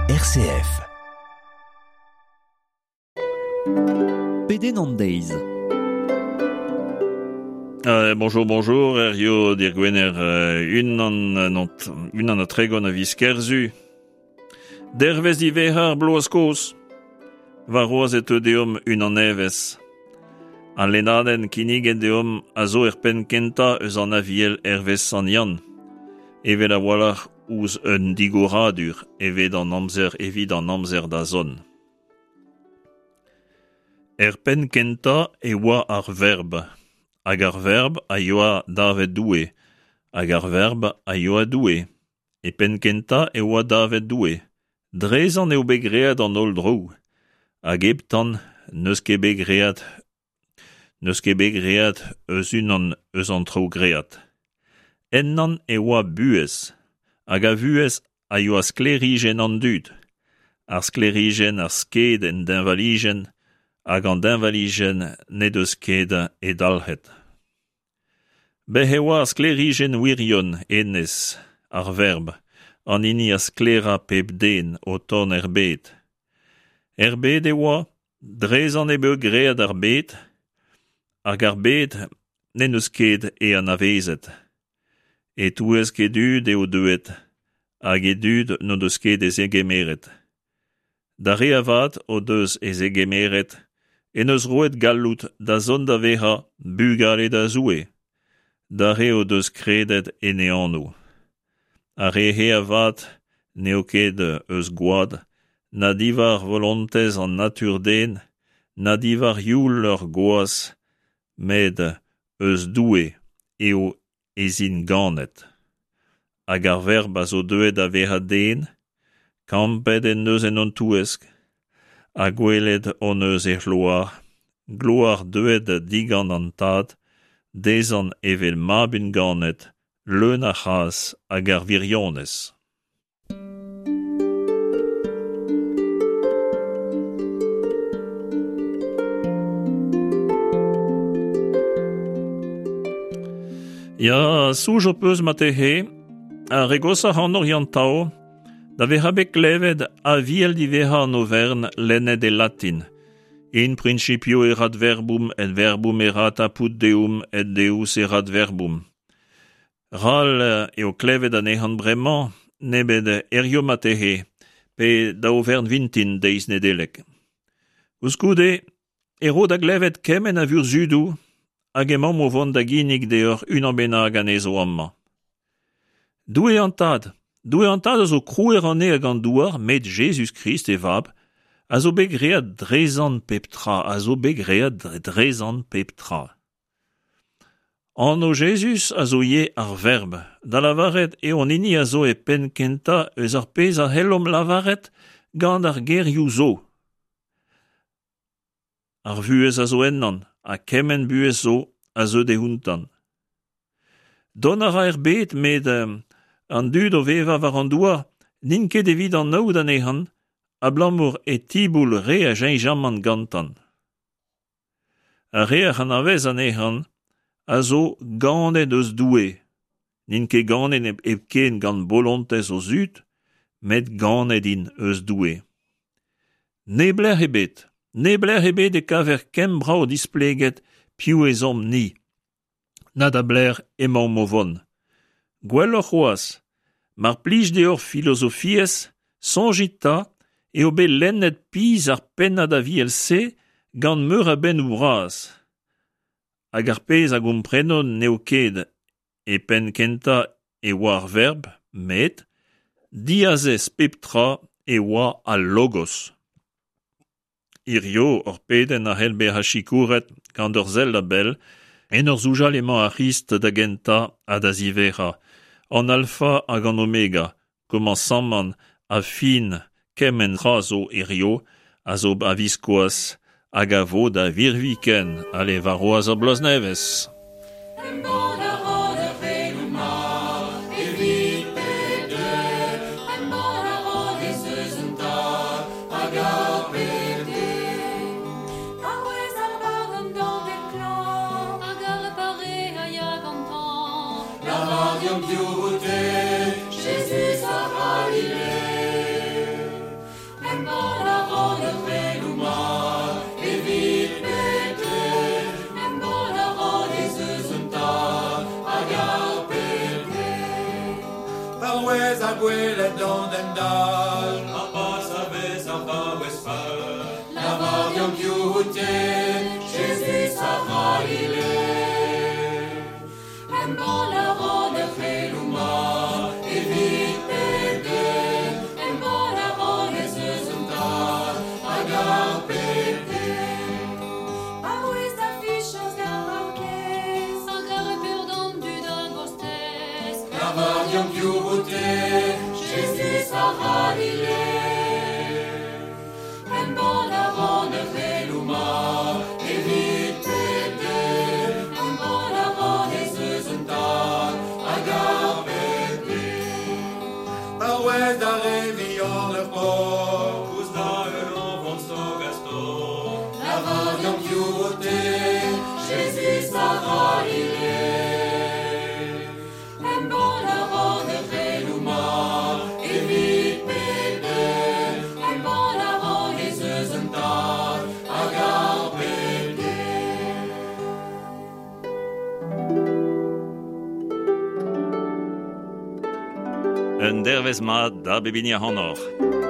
RCF. Pedenn an deiz. Euh, bonjour, bonjour, Herrio dir Gwener euh, unan, euh, non, unan ha tregont a viz Kerzu. Dervez diwezhañ ar bloaz kozh. Warc'hoazh e teu deomp unan nevez. Al lennadenn kinniget deomp a zo er penn kentañ eus an Aviel hervez Sant Yann. Evel a-walc'h ouzh un digoradur evit an amzer evit an amzer da zont. Er penn kentañ e oa ar Verb, hag ar Verb a yoa davet Doue, hag ar Verb a yoa Doue. E penn kentañ e oa davet Doue. Drezan eo bet graet an holl draoù, hag heptan n'eus ket bet graet n'eus ket bet graet eus unan eus an traoù graet. Ennan e oa buhez, hag a vuhez a yoa sklêrijenn an dud. Ar sklêrijenn a sked en deñvalijenn, hag an deñvalijenn n'he deus ket he dalc'het. Bez' e oa ar sklêrijenn wirion, hennezh, ar Verb, an hini a sklaera pep den o tont er bed. Er bed e oa, drezan eo bet graet ar bed, hag ar bed n'en deus ket e anavezet. E-touesk e dud eo deuet, hag e dud n'o deus ket e zegemeret. D'ar re avat o deus e zegemeret en deus roet galloud da zont da vezañ bugale da Zoue, d'ar re o deus kredet en e anv. Ar re-se avat n'eo ket eus gwad, na diwar volontez an natur-den, na diwar youl ur gwaz, met eus Doue eo ez int ganet. Hag ar Verb a zo deuet da vezañ den, kampet en deus en hon touesk, ha gwelet hon eus e c'hloar, gloar deuet digant an Tad, dezhañ evel mab unganet, leun a c'hras hag ar wirionez. Ya, soñj ho peus marteze, ar re goshañ ac'hanoc'h Yann-Tao, da vezañ bet klevet Aviel diwezhañ an overn lennet e latin. In principio erat verbum et verbum erat apud Deum et Deus erat verbum. Ral eo klevet anezhan bremañ, nemet hiziv marteze, pe da oferenn-vintin deiz Nedeleg. Koulskoude e ro da glevet kement a vurzhudoù hag emaomp o vont da ginnig deoc'h unan bennak anezho amañ. Doue an Tad, Doue an Tad a zo krouer an neñv hag an douar, met Jezuz-Krist, e Vab, a zo bet graet drezan pep tra, a zo bet graet drezan pep tra. Anv Jezuz a zo ivez ar Verb, da lavaret eo an hini a zo e penn kentañ eus ar pezh a c'hellomp lavaret gant ar gerioù zo. Ar vuhez a zo ennañ ha kement buhez zo a zeu d'e ountañ. Dont a ra er bed met an dud o vevañ war an douar n'int ket evit anaout anezhañ abalamour e tiboul re a cheñchamant gantañ. Ar re ac'h anavez anezhañ a zo ganet eus Doue. N'int ket ganet hepken gant bolontez o zud, met ganet int eus Doue. Neblec'h ebet, neblec'h ebet e kaver ken brav displeget piv ez omp-ni. Na da belec'h emaomp o vont. Gwelloc'h c'hoazh, mar plij deoc'h filozofiezh, soñjit 'ta eo bet lennet pizh ar pennad aviel-se gant meur a bennoù bras. Hag ar pezh a gomprenont n'eo ket e penn kentañ e oa ar verb, met diazez pep tra e oa al logos. Hiziv hor pedenn a c'hell bezañ sikouret gant ur sell a-bell en ur soñjal emañ ar C'hrist da gentañ ha da ziwezhañ, an alfa hag an omega, komañsamant ha fin kement tra zo hiziv, a zo a-viskoazh hag a vo da virviken. Ale, warc'hoazh ar bloaz nevez. Embann a ran ur c'heloù mat evit pep den. Embann a ran ez eus un tad hag a bep den. A-wezh ar barn dañved klañv hag ar pare a ya gantañ. Lavar deomp piv out-te, Jezuz a C'halile. gwelet an den dall Ha pa savez ar vaouez fall Lavar deomp piv out-te Jezuz a C'halile Embann a ran ur c'heloù mat evit pep den Embann a ran ez eus un Tad hag ar pep den Arouez da fichañs d'ar paourkaezh Hag a repu d'an dud a-gostez Lavar deomp piv out-te Jezuz a C'halile Embann a ran ur c'heloù mat evit pep den Embann a ran ez eus un Tad hag ar pep den Paouez da re vihan ur pok Koulz da heul an vent stok ha stok Lavar deomp piv out-te Jezuz a C'halile Embann a ran ur c'heloù mat evit pep den Embann a ran ez eus un Tad hag ar pep den Un dervezh mat da bep hini ac'hanoc'h.